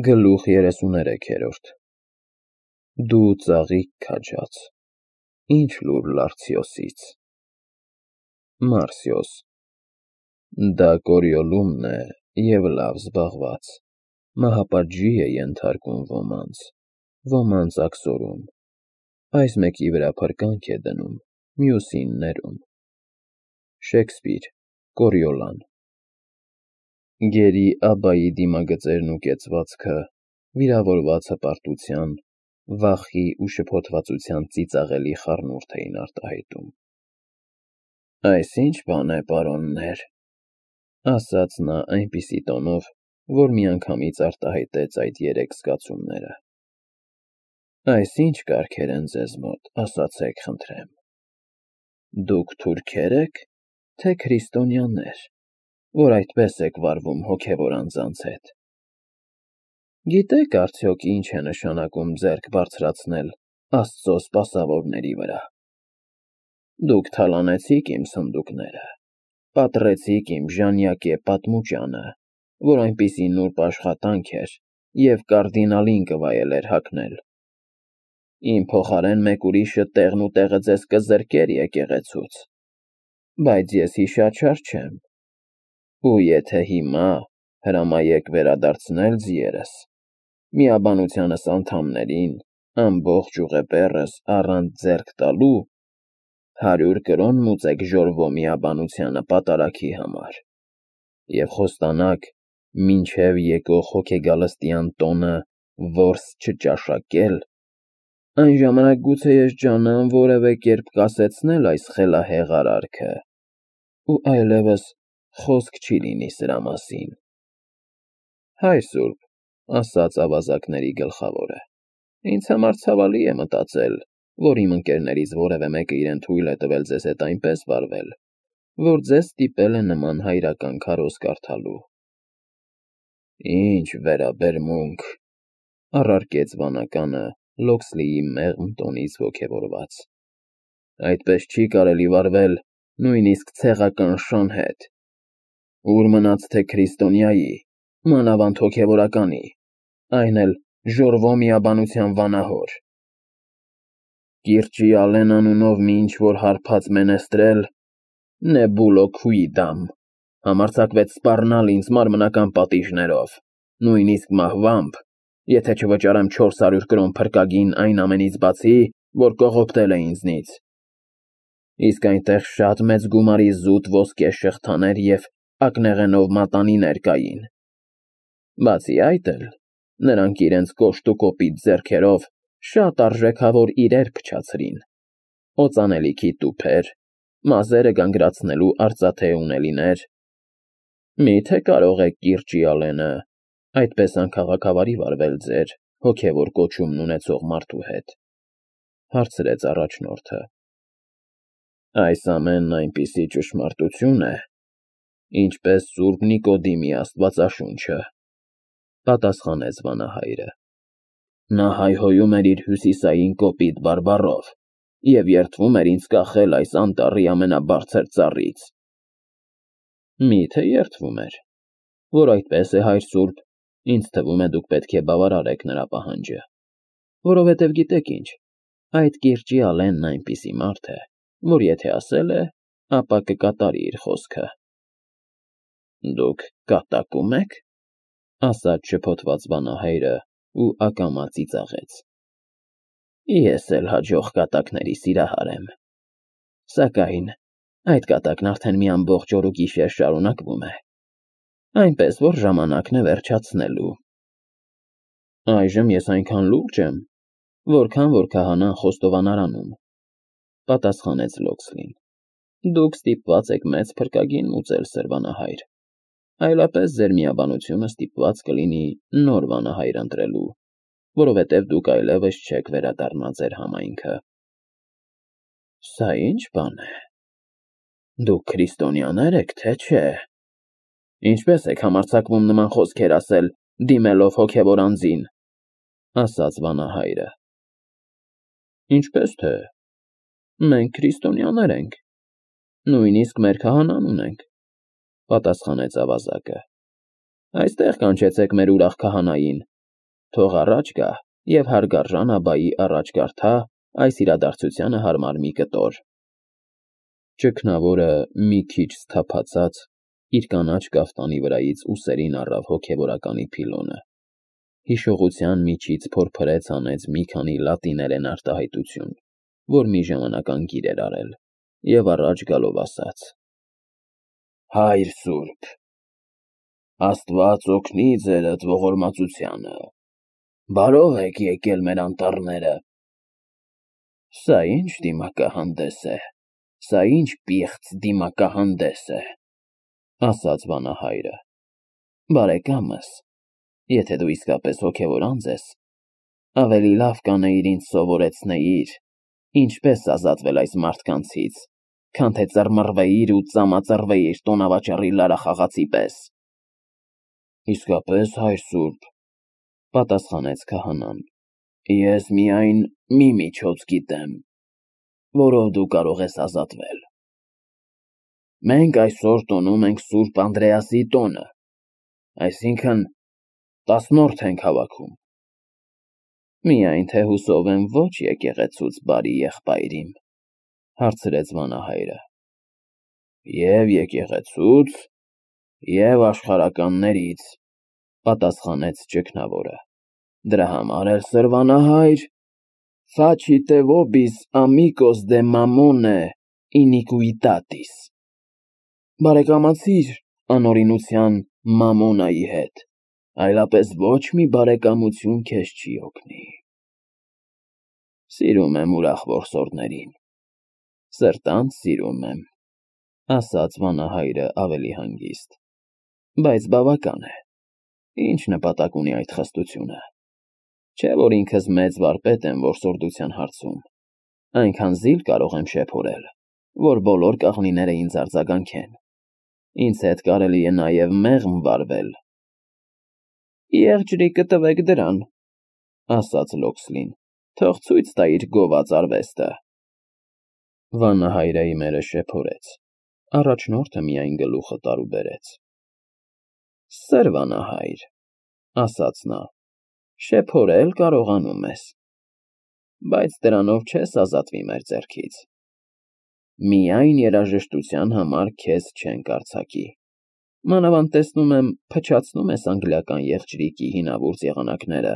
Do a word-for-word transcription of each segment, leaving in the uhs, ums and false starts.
Գլուխ երեսուներեքերորդ Դու ծաղիկ քաջած, ինչ լուր Լարցիոսից։ Մարսիոս Դա Կորիոլումն է և լավ զբաղված, մահապատժի է ենթարկում ոմանց, ոմանց աքսորում, այս մեկի վրա փրկանք է դնում, մյուսին ներում։ Շեքսպիր, Կորիոլան Գերի Աբբայի դիմագծերն ու կեցվածքը, վիրավորված հպարտության, վախի ու շփոթվածության ծիծաղելի խառնուրդ էին արտահայտում։ Այս ի՞նչ բան է, պարոններ, ասաց նա այնպիսի տոնով, որ միանգամից արտահայտեց այդ երեք զգացումները։ Այս ի՞նչ կարգեր են ձեզ մոտ, ասացեք խնդրեմ։ Դուք թուրքե՞ր եք, թե քրիստոնյաներ, որ այդպես եք վարվում հոգևոր անձանց հետ։ Գիտե՞ք արդյոք ինչ է նշանակում ձեռք բարձրացնել Աստծո սպասավորների վրա։ Դուք թալանեցիք իմ սնդուկները, պատռեցիք իմ ժանյակե պատմուճանը, որ այնպիսի նուրբ աշխատանք էր և կարդինալին կվայելեր հագնել։ Իմ փոխարեն մեկ ուրիշը տեղն ու տեղը ձեզ կզրկեր եկեղեցուց, բայց ես հիշաչար չեմ, ու եթե հիմա հրամայեք վերադարձնել ձիերս, միաբանությանս անդամներին, ամբողջ ուղեբեռս առանց ձեռք տալու, հարյուր կրոն մուծեք ժորվո միաբանությանը պատարագի համար, և խոստանաք մինչև եկող հոգեգալստյան տոնը որս չճաշակել, այն ժամանակ գուցե ես ջանամ որևէ կերպ կասեցնել այս խելահեղ արարքը, ու այլևս խոսք չի լինի սրա մասին։ Հայր սուրբ, ասաց ավազակների գլխավորը, ինձ համար ցավալի է մտածել, որ իմ ընկերներից որևէ մեկը իրեն թույլ է տվել ձեզ հետ այնպես վարվել, որ ձեզ ստիպել է նման հայրական քարոզ կարդալու։ Ինչ վերաբերմունք, առարկեց վանականը Լոքսլիի մեղմ տոնից ոգևորված, այդպես չի կարելի վարվել նույնիսկ ցեղական շան հետ, ուր մնաց թե քրիստոնյայի, մանավանդ հոգևորականի, այն էլ ժորվո միաբանության վանահոր։ Կիրճի Ալեն անունով մի ինչ-որ հարբած մենեստրել, Նեբուլո Քուիդամ, համարձակվեց սպառնալ ինձ մարմնական պատիժներով, նույնիսկ մահվամբ, եթե չվճարեմ չորս հարյուր կրոն փրկագին այն ամենից բացի, որ կողոպտել է ինձնից։ Իսկ այնտեղ շատ մեծ գումարի զուտ ոսկե շղթաներ և ակնեղենով մատանիներ կային։ Բացի այդ էլ, նրանք իրենց կոշտ ու կոպիտ ձեռքերով շատ արժեքավոր իրեր փչացրին, օծանելիքի տուփեր, մազերը գանգրացնելու արծաթե ունելիներ։ Մի՞թե կարող է կիրճի Ալենը այդպես անքաղաքավարի վարվել ձեր հոգևոր կոչումն ունեցող մարդու հետ, հարցրեց առաջնորդը։ Այս ամենն այնպիսի ճշմարտություն է, ինչպես Սուրբ Նիկոդիմի աստվածաշունչը, պատասխանեց վանահայրը։ Նա հայհոյում էր իր հյուսիսային կոպիտ բարբառով և երդվում էր ինձ կախել այս անտառի ամենաբարձր ծառից։ Մի՞թե երդվում էր, որ այդպես է, հայր սուրբ, ինձ թվում է դուք պետք է բավարարեք նրա պահանջը, որովհետև գիտեք ինչ, այդ կիրճի Ալենն այնպիսի մարդ է, որ եթե ասել է, ապա կկատարի իր խոսքը։ Դուք կատակում եք, ասաց շփոթված վանահայրը ու ակամա ծիծաղեց։ Ես էլ հաջող կատակների սիրահար եմ, սակայն այդ կատակն արդեն մի ամբողջ օր ու գիշեր շարունակվում է, այնպես որ ժամանակն է վերջացնելու։ Այժմ ես այնքան լուրջ եմ, որքան որ քահանան խոստովանարանում, պատասխանեց Լոքսլին։ Դուք ստիպված եք մեծ փրկագին մուծել, սրվանահայր, այլապես ձեր միաբանությունը ստիպված կլինի նոր վանահայր ընտրելու, որովհետև դուք այլևս չեք վերադառնա ձեր համայնքը։ Սա ի՞նչ բան է։ Դուք քրիստոնյաներ եք, թե չէ։ Ինչպես եք համարձակվում նման խոսքեր ասել, դիմելով հոգևոր անձին, ասաց վանահայրը։ Ինչպես թե։ Մենք քրիստոնյաներ ենք, նույնիսկ մեր քահանան ունենք, պատասխանեց ավազակը։ Այստեղ կանչեցեք մեր ուրախ քահանային, Թող առաջ գա և հարգարժան աբայի առաջ կարդա այս իրադարձությանը հարմար մի կտոր։ Ճգնավորը մի քիչ սթափացած իր կանաչ կաֆտանի վրայից ուսերին առավ հոգևորականի փիլոնը, հիշողության միջից փորփրեց անեց մի քանի լատիներեն արտահայտություն, որ մի ժամանակ անգիր էր արել, և առաջ գալով ասաց. Հայր սուրբ, Աստված օգնի ձերդ ողորմածությանը, բարով եք եկել մեր անտառները։ Սա ինչ դիմակահանդես է, սա ինչ պիղծ դիմակահանդես է, ասաց վանահայրը, բարեկամս, եթե դու իսկապես հոգևոր անձ ես, ավելի լավ կանեիր ինձ սովորեցնեիր, ինչպես ազատվել այս մարդկանցից, քան թե ծռմռվեիր ու ծամածռվեիր տոնավաճառի լարախաղացի պես։ Իսկապես, հայր սուրբ, պատասխանեց քահանան, ես միայն մի միջոց գիտեմ, որով դու կարող ես ազատվել։ Մենք այսօր տոնում ենք Սուրբ Անդրեասի տոնը, այսինքն տասնորդ ենք հավաքում։ Միայն թե հուսով եմ ոչ եկեղեցուց բարի եղբայրիմ, հարցրեց վանահայրը։ Եվ եկեղեցուց, և աշխարհականներից, պատասխանեց ճգնավորը։ Դրա համար էլ սրվանահայր, facite vobis amicos de Mammone iniquitatis, բարեկամացիր անօրինության Մամոնայի հետ, այլապես ոչ մի բարեկամություն քեզ չի օգնի։ Սիրում եմ ուրախ որսորդներին, սրտանց սիրում եմ, ասաց վանահայրը ավելի հանգիստ, բայց բավական է, ինչ նպատակ ունի այդ խստությունը։ Չէ որ ինքս մեծ վարպետ եմ որսորդության հարցում, այնքան զիլ կարող եմ շեփորել, որ բոլոր կաղնիները ինձ արձագանքեն, ինձ հետ կարելի է նաև մեղմ վարվել։ Եղջրիկը տվեք դրան, ասաց Լոքսլին, թող ցույց տա իր գոված արվեստը։ Վանահայրը իմերը շեփորեց, առաջնորդը միայն գլուխը տարուբերեց։ Սրվանահայր, ասաց նա, շեփորել կարողանում ես, բայց դրանով չես ազատվի մեր ձեռքից։ Միայն երաժշտության համար քեզ չենք արձակի։ Մանավանդ տեսնում եմ, փչացնում ես անգլիական եղջրիկի հինավուրց եղանակները,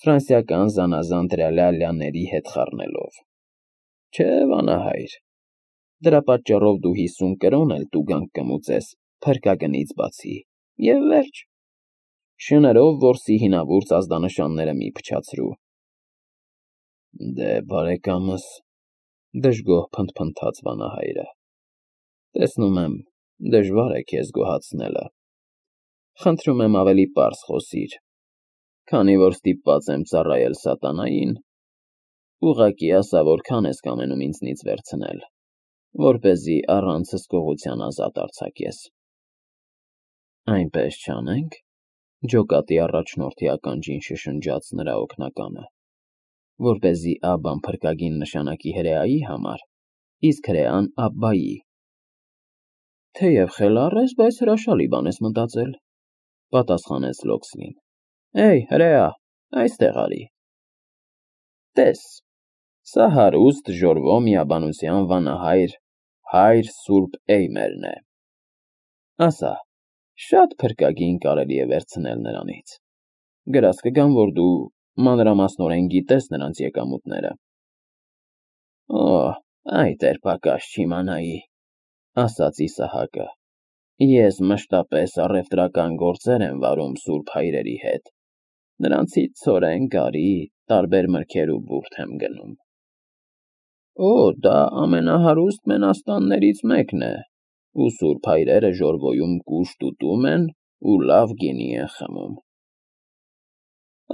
ֆրանսիական զանազան տրալալյաների հետ խառնելով։ Չէ, վանահայր, դրա պատճառով դու հիսուն կրոն էլ տուգանք կմուծես փրկագնից բացի, և վերջ։ Շներով որսի հինավուրց ազդանշանները մի փչացրու։ Դե, բարեկամս, դժգոհ փնթփնթաց վանահայրը, տեսնում եմ, դժվար է քեզ գոհացնելը։ Խնդրում եմ ավելի պարզ խոսիր, քանի որ ստիպված եմ ծառայել սատանային, ուղղակի ասա, որքան ես կամենում ինձնից վերցնել, որպեսզի առանց հսկողության ազատ արձակես։ Այնպես չանենք, ջոկատի առաջնորդի ականջին շշնջաց նրա օգնականը, որպեսզի Աբբան փրկագին նշանակի հրեայի համար, իսկ հրեան Աբբայի։ Թեև խելառ ես, բայց հրաշալի բան ես մտածել, պատասխանեց Լոքսլին։ Էй, հրեա, այստեղ արի։ Տես, սա հարուստ ժորվո միաբանության վանահայր, հայր Սուրբ Էյմերն է։ Ասա, շատ փրկագին կարելի է վերցնել նրանից։ Գրած կգամ, որ դու մանրամասնորեն գիտես նրանց եկամուտները։ Օ, այդ էր պակաս չիմանայի, ասաց Իսահակը։ Ես մշտապես առևտրական գործեր եմ վարում սուրբ հայրերի հետ, նրանցից ցորեն, գարի, տարբեր մրգեր ու բուրդ եմ գնում։ Օ, դա ամենահարուստ մենաստաններից մեկն է, ու սուրբ հայրերը ժորվոյում կուշտ ուտում են ու լավ գինի են խմում։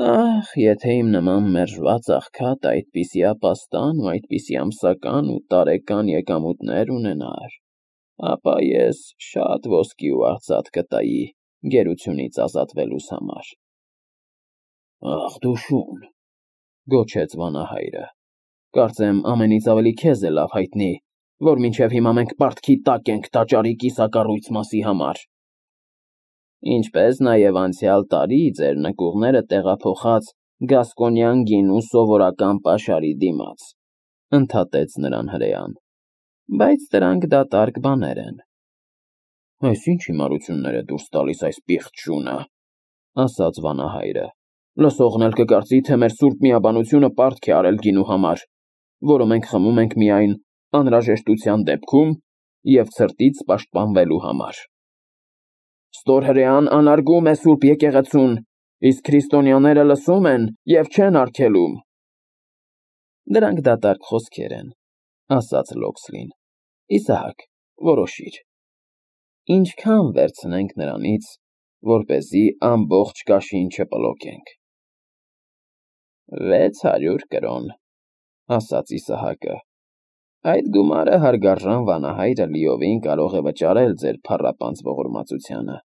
Ախ, եթե իմ նման մերժված աղքատ այդպիսի ապաստան ու այդպիսի ամսական ու տարեկան եկամուտներ ունենար, ապա ես շատ ոսկի ու արծաթ կտայի գերությունից ազատվելուս համար։ Ախ, դու շուն, գոչեց վանահայրը, կարծեմ ամենից ավելի քեզ է լավ հայտնի, որ մինչև հիմա մենք պարտքի տակ ենք տաճարի կիսակառույց մասի համար։ Ինչպես նաև անցյալ տարի ձեր նկուղները տեղափոխած գասկոնյան գինու սովորական պաշարի դիմաց, ընդհատեց նրան հրեան, բայց դրանք դատարկ բաներ են։ Այս ինչ հիմարություններ է դուրս տալիս այս պիղծ շունը, ասաց վանահայրը, լսողն էլ կկարծի, թե մեր սուրբ միաբանությունը պարտք է արել գինու համար, որը մենք խմում ենք միայն անհրաժեշտության դեպքում և ցրտից պաշտպանվելու համար։ Ստոր հրեան անարգում է սուրբ եկեղեցուն, իսկ քրիստոնյաները լսում են և չեն արգելում։ Դրանք դատարկ խոսքեր են, ասաց Լոքսլին։ Իսահակ, որոշիր, ինչքան վերցնենք նրանից, որպեսզի ամբողջ կաշին չպլոկենք։ Վեց հարյուր կրոն, ասաց Իսահակը։ Այդ գումարը հարգարժան վանահայրը լիովին կարող է վճարել ձեր փառապանծ ողորմածությանը,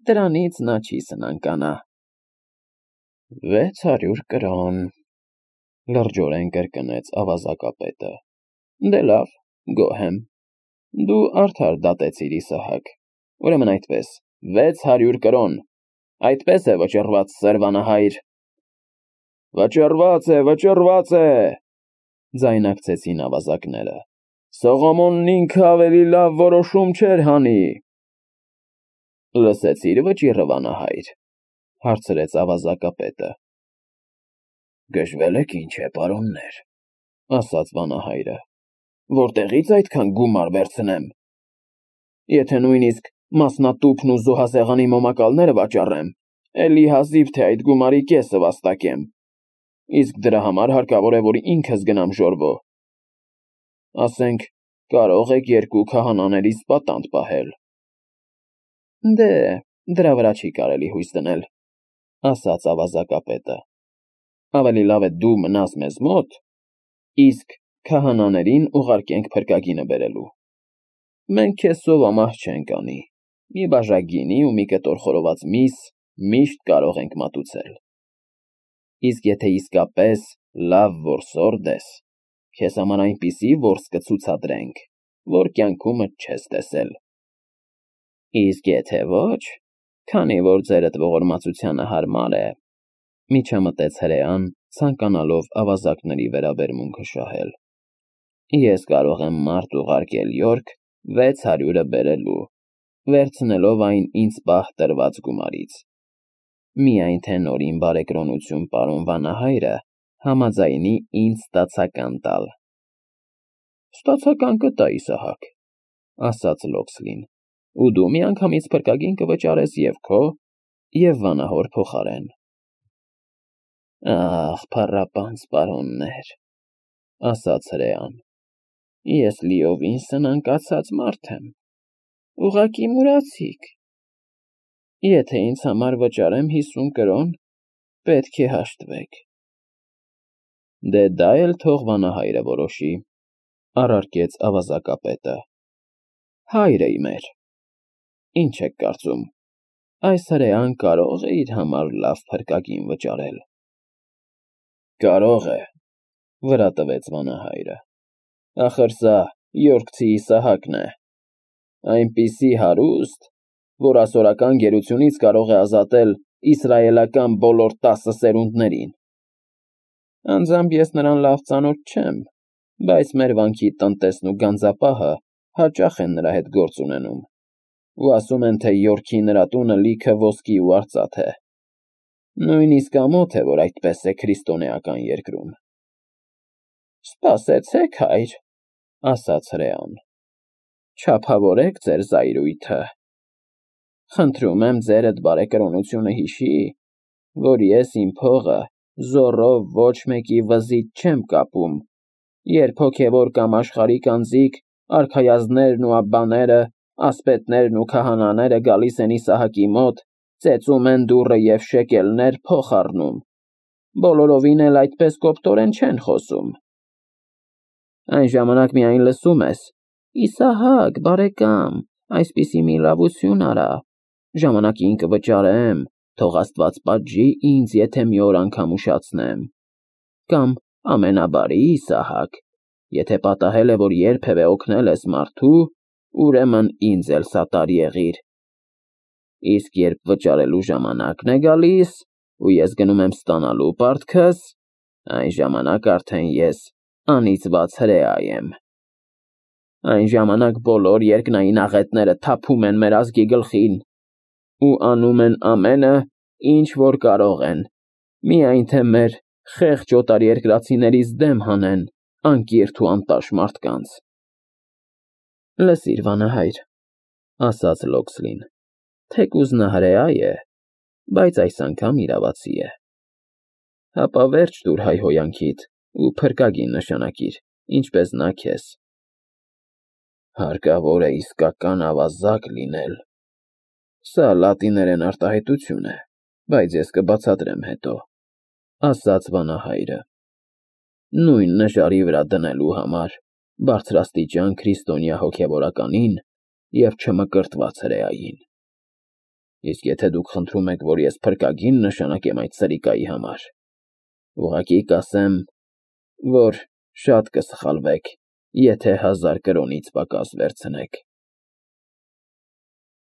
դրանից նա չի սնանկանա։ Վեց հարյուր կրոն, լրջորեն կրկնեց ավազակապետը։ Դե լավ, գոհ եմ, դու արդար դատեցիր, Իսահակ, ուրեմն այդպես, վեց հարյուր կրոն, այդպես է վճռված, սեր վանահայր։ Վճռված է, վճռված է, ձայնակցեցին ավազակները, Սողոմոնն ինքը ավելի լավ որոշում չէր հանի։ Լսեցիր վճիռը, վանահայր, հարցրեց ավազակապետը։ Գժվել եք ինչ է, պարոններ, ասաց վանահայրը, որտեղից այդքան գումար վերցնեմ։ Եթե նույնիսկ մասնատուփն ու զոհասեղանի մոմակալները վաճառեմ, էլի հազիվ թե այդ գումարի կեսը վաստակեմ, իսկ դրա համար հարկավոր է, որ ինքս գնամ ժորվո։ Ասենք, կարող եք երկու քահանաներից պատանդ պահել։ Դե, դրա վրա չի կարելի հույս դնել, ասաց ավազակապետը։ Ավելի լավ է դու մնաս մեզ մոտ, իսկ քահանաներին ուղարկենք փրկագինը բերելու։ Մենք քեզ սովամահ չենք անի, մի բաժակ գինի ու մի կտոր խորոված միս միշտ կարող ենք մատուցել։ Իսկ եթե իսկապես լավ որսորդ ես, քեզ համար այնպիսի որս կցուցադրենք, որ կյանքումդ չես տեսել։ Իսկ եթե ոչ, քանի որ ձերդ ողորմածությանը հարմար է, միջամտեց հրեան, ցանկանալով ավազակների վերաբերմունքը շահել։ Ես կարող եմ մարդ ուղարկել Յորք վեց հարյուրը բերելու, վերցնելով այն ինձ պահ տրված գումարից։ Միայն թե նորին բարեկրոնություն պարոն վանահայրը համաձայնի ինձ ստացական տալ։ Ստացական կտա, Իսահակ, ասաց Լոքսլին, ու դու միանգամից փրկագին կվճարես և քո, և վանահոր փոխարեն։ Ախ, փառապանծ պարոններ, ասաց հրեան, ես լիովին սնանկացած մարդ եմ, ուղղակի մուրացիք։ Եթե ինձ համար վճարեմ հիսուն կրոն, պետք է հաշտվեք։ Դե դա էլ թող վանահայրը որոշի, առարկեց ավազակապետը։ Հայր է մեր, ինչ եք կարծում, այս հրեան կարող է իր համար լավ փրկագին վճարել։ Կարող է, վրա տվեց վանահայրը, ախր սա Յորքցի Իսահակն է, այնպիսի հարուստ, որ ասորական գերությունից կարող է ազատել իսրայելական բոլոր տասը սերունդներին։ Անձամբ ես նրան լավ ծանոթ չեմ, բայց մեր վանքի տնտեսն ու գանձապահը հաճախ են նրա հետ գործ ունենում, ու ասում են, թե Յորքի նրա տունը լիքը ոսկի ու արծաթ է։ Նույնիսկ ամոթ է, որ այդպես է քրիստոնեական երկրում։ Սպասեցեք, հայր, ասաց հրեան, չափավորեք ձեր զայրույթը։ Խնդրում եմ ձերդ բարեկրոնությունը հիշի, որ ես իմ փողը զոռով ոչ մեկի վզից չեմ կապում, երբ հոգևոր կամ աշխարհիկ անձիկ, արքայազններն ու աբբաները, ասպետներն ու քահանաները գալիս են Իսահակի մոտ, ծեծում են դուռը և շեկելներ փող առնում, բոլորովին էլ այդպես կոպտորեն չեն խոսում։ Այն ժամանակ միայն լսում ես. Իսահակ, բարեկամ, այսպիսի մի լավություն արա, ժամանակին կվճարեմ, թող Աստված պատժի ինձ, եթե մի օր անգամ ուշացնեմ։ Կամ ամենաբարի Իսահակ, եթե պատահել է, որ երբևէ օգնել ես մարդու, ուրեմն ինձ էլ սատար եղիր։ Իսկ երբ վճարելու ժամանակն է գալիս, ու ես գնում եմ ստանալու պարտքս, այն ժամանակ արդեն ես անիծված հրեա եմ։ Այն ժամանակ բոլոր երկնային աղետները թափում են մեր ազգի գլխին ու անում են ամենը, ինչ որ կարող են, միայն թե մեր խեղճ օտարերկրացիներից դեմ հանեն անկիրթ ու անտաշ մարդկանց։ Լսիր, վանահայր, ասաց Լոքսլին, թեկուզ նա հրեա է, բայց այս անգամ իրավացի է։ Հապա վերջ տուր հայհոյանքիդ ու փրկագին նշանակիր, ինչպես նա քեզ։ Հարկավոր է իսկական ավազակ լինել։ Սա լատիներեն արտահայտություն է, բայց ես կբացատրեմ հետո, ասաց վանահայրը։ Նույն նժարի վրա դնելու համար բարձրաստիճան քրիստոնյա հոգևորականին և չմկրտված հրեային։ Իսկ եթե դուք խնդրում եք, որ ես փրկագին նշանակեմ այդ սրիկայի համար, ուղղակի կասեմ, որ շատ կսխալվեք, եթե հազար կրոնից պակաս վերցնեք։